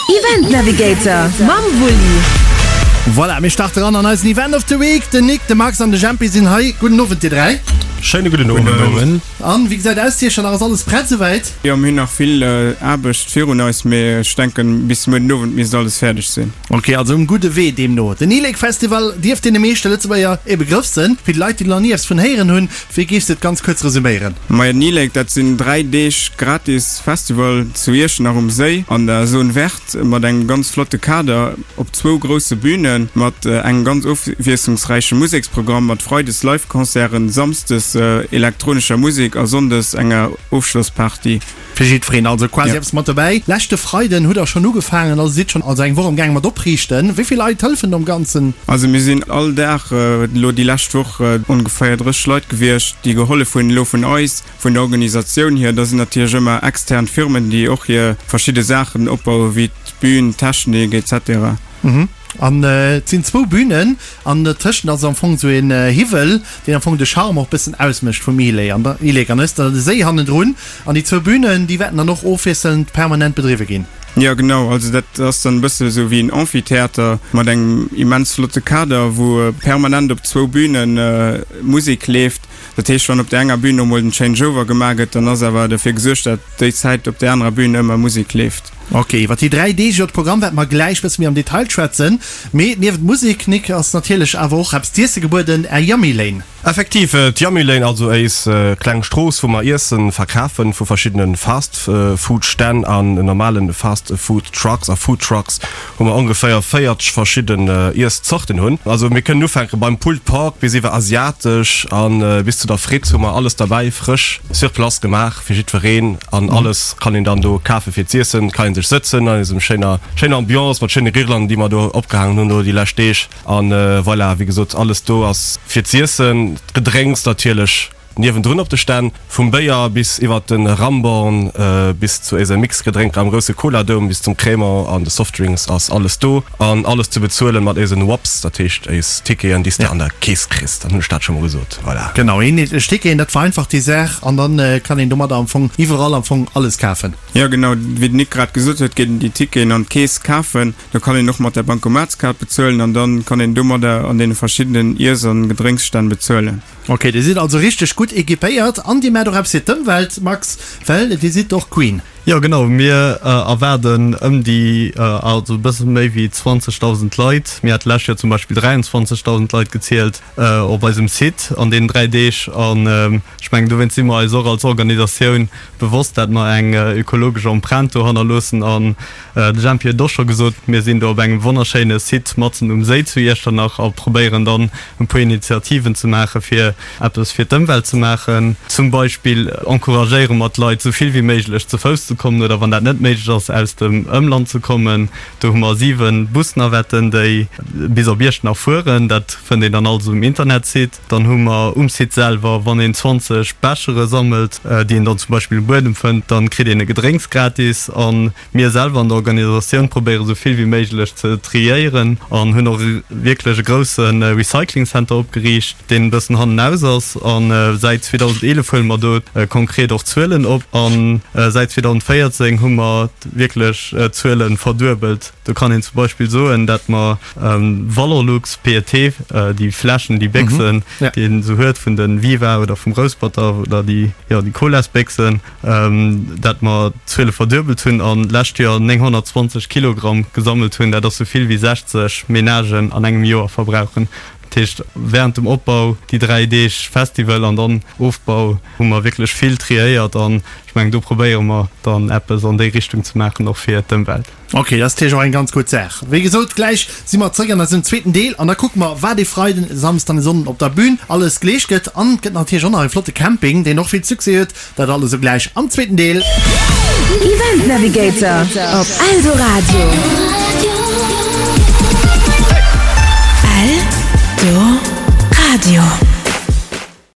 Event Navigator mam Wulli. Voilà, mir starte ran an eisen Event of the Week. Den Nick, de Max an de Jempi sinn hei. Gudden Owend dir 3. Schéine gudden Owend. An wéi gesäit aus Iech? Ass alles prett souwäit? Jo, mir hunn nach vill Aarbecht virun eis, mee ech denken bis muer den Owend misst alles fäerdeg sinn. Ok, also um gudde Wee deemno. Den E-Lake Festival dierft deene meeschte Lëtzebuerger e Begrëff sënn. Fir déi Leit, déi nach ni eppes vun héieren hunn, wéi géifs de et ganz kuerz resuméieren? Majo, den E-Lake, dat sinn 3 Deeg gratis Festival zu Iechternach um Séi an der Zone Verte mat engem ganz flotte Kader op zwou grousse Bünen, mat engem ganz ofwiesslungsräiche Museksprogramm, mat freides Live-Concerten, samsdes elektronescher Musek a sonndes enger Ofschlossparty. Fir jiddwereen also quasi eppes mat dobäi. Leschte Freiden hutt der schonn ugefaangen, also sidd schonn also eng Woch am gaang mat opriichten. Wéi vill Leit hëllefen do am Ganzen? Also mir sinn all Dag elo déi lescht Woch ongeféier 30 Leit gewiescht, déi gehollef hunn elo vun eis, vun der Organisatioun hier. Da sinn natierlech ëmmer extern Firmen, déi och hir verschidde Saachen opbauen, wéi d'Bün, d'Technik etc. An et sinn zwou Bünen an dertëschent ass am Fong esou een Hiwwel, deen am Fong de Charme och bëssen ausmécht vum Ilé an der Ilek. An da ass da de Séi hannendrun an déi zwou Bünen, déi wäerten dann och ofwiesselnd permanent bedriwwe ginn. Jo genau, also dat ass dann e bësse esou wéi en Amphitheater mat engem immens flotte Kader, wou permanent op zwou Büne Musek leeft. Dat heescht, wann op där enger Bühn emol den Changeover gemaach gëtt, dann ass awer derfir gesuergt, dat déi Zäit op där anerer Bühn ëmmer Musek leeft. Ok, iwwer déi 3 Deeg, iwwer d'Programm wäerte mer gläich bësse méi am Detail schwätzen. Mee niewent Musek, Nic, ass natierlech awer och eppes z'iesse gebueden, Är Yummy Lane. Effektiv, d'Yummy Lane, also éis kleng Strooss, wou mer Iessen verkafen vu verschiddene Fast Food Stänn an normalen Fast Food Trucks a Food Trucks. wou mer ongeféier 40 verschidden Iess-Zorten hunn. Also mir kënnen ufänke beim Pulled Pork bis iwwer asiatesch a bis zu der Fritt hu mer alles derbäi, frësch sur place gemaach fir jiddwereen an alles kann een dann do kafe fir z'iessen. Et kann ee sech sëtzen an eisem schéiner schéiner Ambiance mat schéine Guirlanden déi mer do opgehaangen hunn elo déi lescht Deeg an voilà, wéi gesot alles do ass fir z'iessen, d'Gedrénks natierlech. Niewendrun op de Stänn, vum Béier bis iwwert de Ramborn bis zu éise Mixgedrénker am grousse Cola-Dome bis zum Crémant an de Softdrinks ass alles do an alles ze bezuelen mat éisen Wops, dat heescht éis Ticketen déi s de an der Keess kriss. Dann hunn ech dat scho mol gesot, voilà. Genau, eenheetlech Ticketen, dat vereinfacht déi Saach an dann kann een domadder am Fong iwwerall am Fong alles kafen. Jo genau, wéi den Nick grad gesot huet, geet een déi Ticketen an d'Keess kafen. Do kann een och mat der Bankomatskaart bezuelen an dann kann een domadder an deene verschiddenen Iess an Gedrénksstänn bezuelen. Ok, dir sidd also richteg gutt equipéiert an dir maacht och eppes fir d'Ëmwelt, Max, well dir sidd och Green. Jo genau, mir erwaarden ëm déi, also e bësse méi wéi 20.000 Leit. Mir hate lescht Joer zum Beispill 23.000 Leit gezielt op eisem Site an deenen 3 Deeg. An ech mengen dowéinst si mer eis och als Organisatioun bewosst, dat mer eng ökologesch Empreinte do hannerloossen. An De Jempi huet et och scho gesot, mir sinn do op engem wonnerschéine Site matzen um Séi zu Iechternach a probéieren dann e puer Initiativen ze maache fir eppes fir d'Ëmwelt ze maachen. Zum Beispill encouragéiere mer d'Leit esou vill wéi méiglech ze Fouss ze kommen oder wann dat net méiglech ass aus dem Ëmland ze kommen. Do hu mer 7 Busnavetten déi bis op Iechternach fueren. Dat fënnt een dann alles um Internetsite. Dann hu mer um Site selwer, wann een 20 Bechere sammelt, déi een dann zum Beispill um Buedem fënnt, dann kritt een e Gedrénks gratis. A mir selwer an der Organisatioun probéiere sou vill wéi méiglech ze triéieren an hunn och wierklech e grousse Recycling Center opgeriicht, deen e bëssen hannenaus ass. A säit 2011 huele mer do konkret och Zuelen op a säit 2014 hu mer wierklech d'Zuele verduebelt. Do kann een zum Beispill soen, dat mer Valorlux, PET, déi Fläschen, déi Béchsen, déi een esou huet vun de Viva oder vum Rousperter oder déi, jo, déi Colasbéchsen, dat mer d'Zuele verduebelt hunn an d'lescht Joer 920 Kilogramm gesammelt hunn. Dat ass esou vill wéi 60 Menagen an engem Joer verbrauchen. Dat heescht, während dem Opbau, déi 3 Deeg Festival an dann Ofbau, hu mer wierklech vill triéiert an ech mengen, do probéiere mer dann eppes an déi Richtung ze maachen, och fir d'Ëmwelt. Ok, dat ass natierlech och eng ganz gutt Saach. Wéi gesot, gläich si mer zréck an eisem zweeten Deel an da kucke mer, wat e Freiden, e Samsden an e Sonnden op der Bühn alles geleescht gëtt. An et gëtt natierlech och nach e flotte Camping, deen och vill Succès huet. Dat alles esou gläich am zweeten Deel. Event Navigator op Eldoradio. Eldoradio.